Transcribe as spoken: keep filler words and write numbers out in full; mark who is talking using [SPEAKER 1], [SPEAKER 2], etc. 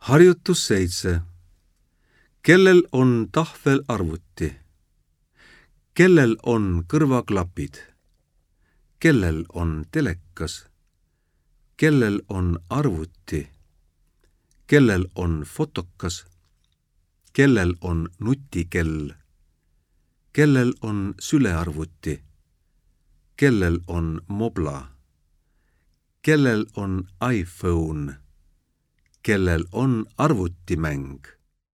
[SPEAKER 1] Harjutus seitse. Kellel on tahvel arvuti? Kellel on kõrvaklapid? Kellel on telekas? Kellel on arvuti? Kellel on fotokas? Kellel on nutikell? Kellel on sülearvuti? Kellel on mobla? Kellel on iPhone? Kellel on arvutimäng?